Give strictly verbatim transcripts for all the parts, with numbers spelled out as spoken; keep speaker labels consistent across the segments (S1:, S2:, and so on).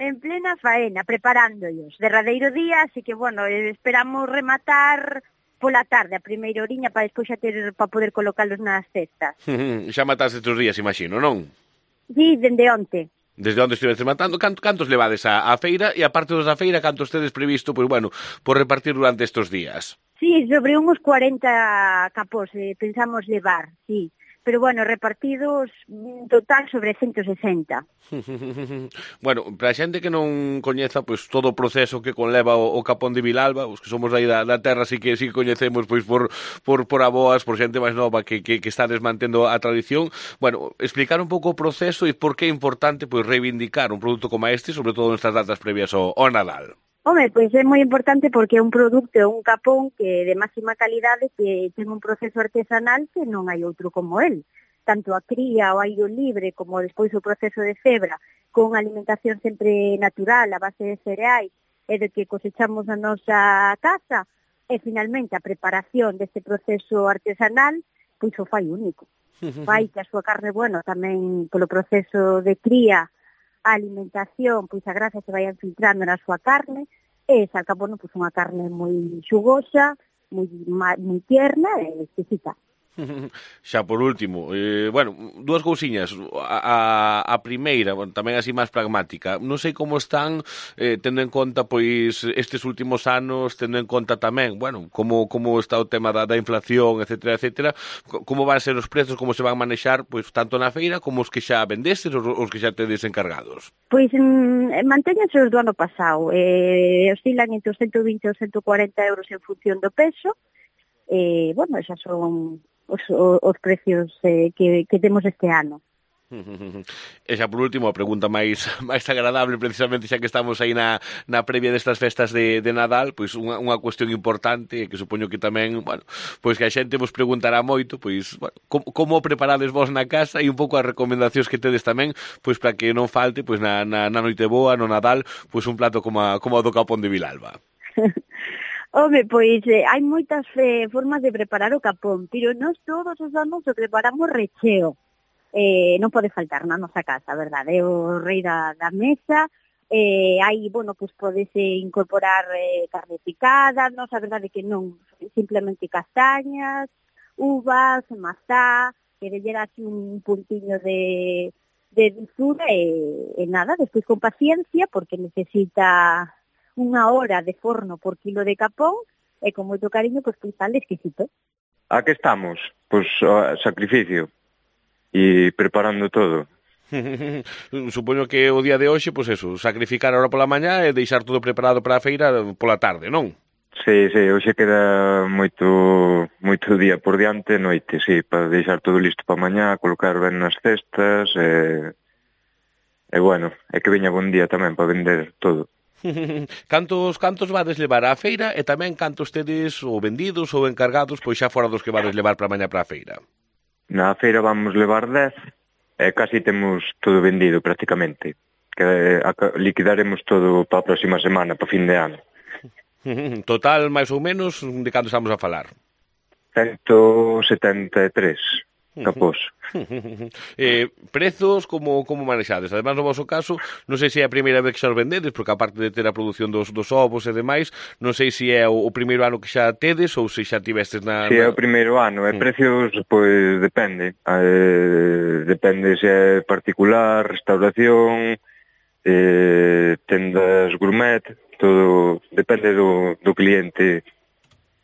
S1: En plena faena, preparándolos. Derradeiro día, así que, bueno, esperamos rematar pola tarde, a primeira oriña, para despois xa ter, para poder colocalos nas cestas.
S2: Xa mataste estes días, imagino, non?
S1: Sí, dende onte.
S2: Desde onde estiveste matando, canto, cantos levades á, á feira, e aparte dos da feira, cantos tedes previsto, pois, bueno, por repartir durante estes días?
S1: Sí, sobre uns cuarenta capós eh, pensamos levar, sí. Pero, bueno, repartidos en total sobre ciento sesenta.
S2: Bueno, para a xente que non coñeza pois todo o proceso que conleva o, o capón de Vilalba, os que somos aí da, da terra sí que sí que coñecemos pois por por por aboas, por xente máis nova que que que está desmantendo a tradición. Bueno, explicar un pouco o proceso e por que é importante pois reivindicar un produto como este, sobre todo nestas datas previas ao, ao Nadal.
S1: Home, pois é moi importante porque é un produto, é un capón que de máxima calidade que ten un proceso artesanal que non hai outro como el. Tanto a cría, o aire libre, como despois o proceso de cebra, con alimentación sempre natural, a base de cereais, e de que cosechamos na nosa casa, e finalmente a preparación deste proceso artesanal, pois o fai único. Fai que a súa carne, bueno, tamén polo proceso de cría, a alimentación, pois a grasa se vai infiltrando na súa carne, e saca, bueno, pois unha carne moi xugosa, moi, moi tierna e exquisita.
S2: Xa por último, eh, bueno, dúas cousiñas. A, a, a primeira, bueno, tamén así máis pragmática. Non sei como están, eh, tendo en conta, pois, estes últimos anos, tendo en conta tamén, bueno, como, como está o tema da, da inflación, etcétera, etcétera, como van ser os prezos, como se van manexar, pois, tanto na feira como os que xa vendestes, os, os que xa tedes encargados.
S1: Pois mm, mantéñanse os do ano pasado, eh, oscilan entre os ciento vinte e os ciento cuarenta euros en función do peso, e, eh, bueno, xa son os, os precios eh, que, que temos este ano.
S2: E xa por último, a pregunta máis máis agradable, precisamente xa que estamos aí na, na previa destas festas de, de Nadal, pois unha, unha cuestión importante, que supoño que tamén, bueno, pois que a xente vos preguntará moito, pois, bueno, como, como preparades vos na casa e un pouco as recomendacións que tedes tamén, pois para que non falte, pois na, na, na noite boa, no Nadal, pois un plato como, a, como o do capón de Vilalba.
S1: Home, pois eh, hai moitas eh, formas de preparar o capón, pero nós todos os anos o preparamos recheo. Eh, non pode faltar na nosa casa, verdade? É o rei da, da mesa, eh, hai, bueno, pois podese incorporar eh, carne picada, non, a verdade que non, simplemente castañas, uvas, mazá, que lle así un puntiño de, de dulzura e, e nada, despois con paciencia, porque necesita unha hora de forno por kilo de capón, e con moito cariño, pois, pois tal exquisito.
S3: A que estamos? Pois o sacrificio e preparando todo.
S2: Supoño que o día de hoxe, pois eso, sacrificar ahora pola mañá e deixar todo preparado para a feira pola tarde, non?
S3: Sí, sí, hoxe queda moito moito día por diante, noite, sí, para deixar todo listo para mañá, colocar ben nas cestas, e, e bueno, é que veña bon día tamén para vender todo.
S2: Cantos cantos vades levar á feira e tamén cantos tedes ou vendidos ou encargados, pois xa fora dos que vades levar para mañá para a feira?
S3: Na feira vamos levar dez e casi temos todo vendido prácticamente, que liquidaremos todo para a próxima semana, para fin de ano.
S2: Total, máis ou menos, de canto estamos a falar?
S3: ciento setenta e tres capós.
S2: eh, prezos, como, como manexades? Además, no vosso caso, non sei se é a primeira vez que xa os vendedes, porque aparte de ter a produción dos, dos ovos e demais, non sei se é o, o primeiro ano que xa tedes ou se xa tivestes na...
S3: Si,
S2: na...
S3: é o primeiro ano. E precios, pois, depende. Eh, depende se é particular, restauración, eh, tendas gourmet, todo depende do, do cliente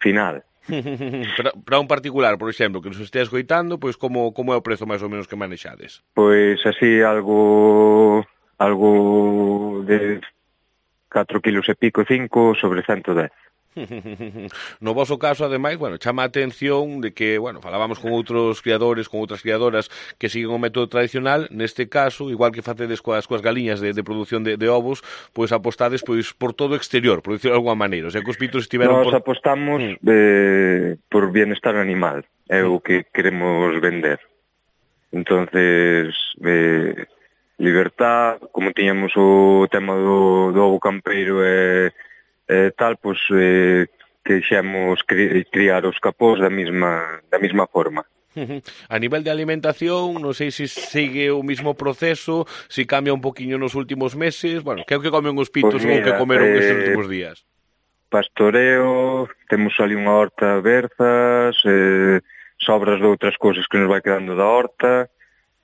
S3: final.
S2: para, para un particular, por exemplo, que nos estea escoitando, pois como, como é o prezo máis ou menos que manexades?
S3: Pois así algo algo de catro kilos e pico, cinco sobre ciento dez.
S2: No voso caso, ademais, bueno, chama a atención de que, bueno, falábamos con outros criadores, con outras criadoras que siguen o método tradicional, neste caso, igual que facedes coas, coas galiñas de, de produción de, de ovos, pois apostades pois por todo exterior, por dicirlo de alguma maneira, o sea, que os pitos estiveron...
S3: Nos
S2: por...
S3: apostamos eh, por bienestar animal, é o que queremos vender. Entonces, eh, libertad, como tiñamos o tema do, do ovo campeiro e... Eh, tal, pois, eh, queixemos cri, criar os capós da mesma, da mesma forma.
S2: A nivel de alimentación, non sei se sigue o mismo proceso, se cambia un poquinho nos últimos meses, bueno, que é o que comen os pitos
S3: Pois
S2: ou o que
S3: mira,
S2: comeron
S3: eh,
S2: estes últimos días?
S3: Pastoreo, temos ali unha horta berzas, eh, sobras de outras cousas que nos vai quedando da horta,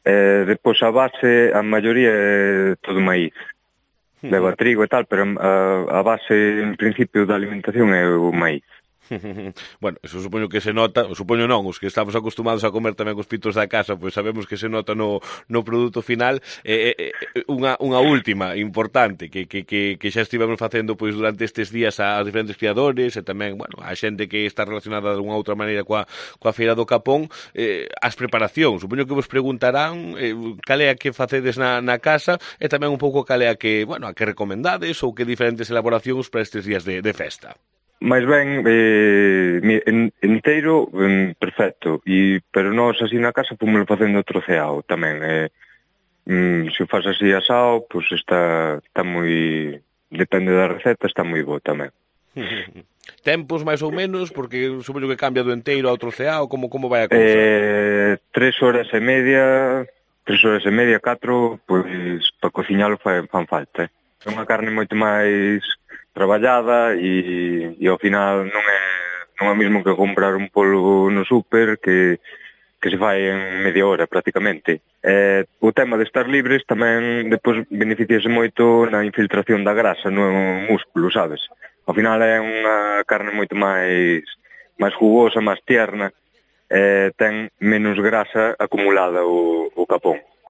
S3: eh, depois a base, a maioría é todo maíz. Leva trigo e tal, pero a, a base, en principio, da alimentación é o maíz.
S2: Bueno, eso supoño que se nota, supoño non, os que estamos acostumados a comer tamén os pitos da casa, pois sabemos que se nota no, no produto final. Eh, eh, unha, unha última importante que, que, que, que xa estivemos facendo pois durante estes días a, a diferentes criadores e tamén, bueno, a xente que está relacionada de unha outra maneira coa, coa Feira do Capón, eh, as preparacións. Supoño que vos preguntarán eh, cal é a que facedes na, na casa e tamén un pouco cal é a que, bueno, a que recomendades ou que diferentes elaboracións para estes días de, de festa.
S3: Mais ben, eh, en, inteiro, en, perfecto, e, pero nós así na casa pomos facendo troceado tamén. Eh, mm, se o faz así asado, pois pues está, está moi, depende da receta, está moi bo tamén.
S2: Tempos máis ou menos, porque supoño que cambia do enteiro ao troceado, como, como vai a cousa?
S3: Eh, tres horas e media, tres horas e media, catro, pois para cociñalo fan, fan falta. É unha carne moito máis traballada e, e ao final non é non é mesmo que comprar un polvo no súper que, que se fai en media hora prácticamente. Eh, o tema de estar libres tamén depois beneficiase moito na infiltración da grasa no músculo, sabes? Ao final é unha carne moito máis máis jugosa, máis tierna, eh, ten menos grasa acumulada o, o capón.